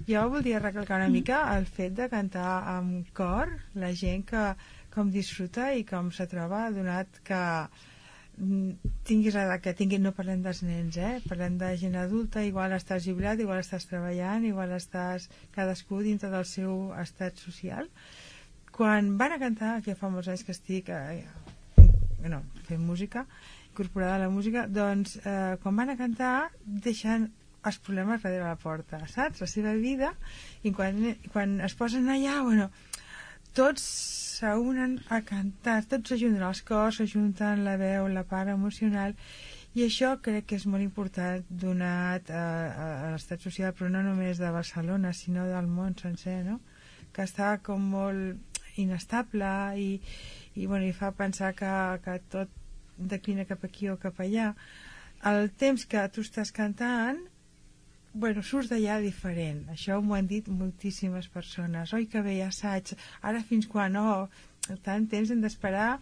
Jo voldria recalcar una mica el fet de cantar amb cor, la gent que com disfruta i com se troba, donat que tinguis l'edat que tinguis. No parlem dels nens, parlem de gent adulta. Igual estàs jubilat, igual estàs treballant, igual estàs cadascú dintre del seu estat social. Quan van a cantar, que fa molts anys que estic fent música, incorporada a la música, doncs quan van a cantar deixen els problemes darrere la porta, saps? La seva vida, i quan es posen allà, tots s'unen a cantar, tots s'ajunten els cors, s'ajunten la veu, la part emocional, i això crec que és molt important donat a l'estat social, però no només de Barcelona, sinó del món sencer, no? Que està com molt inestable i fa pensar que tot declina cap aquí o cap allà. El temps que tu estàs cantant surts d'allà diferent. Això m'ho han dit moltíssimes persones. Oi, que bé, assaig, ara fins quan? Tant temps hem d'esperar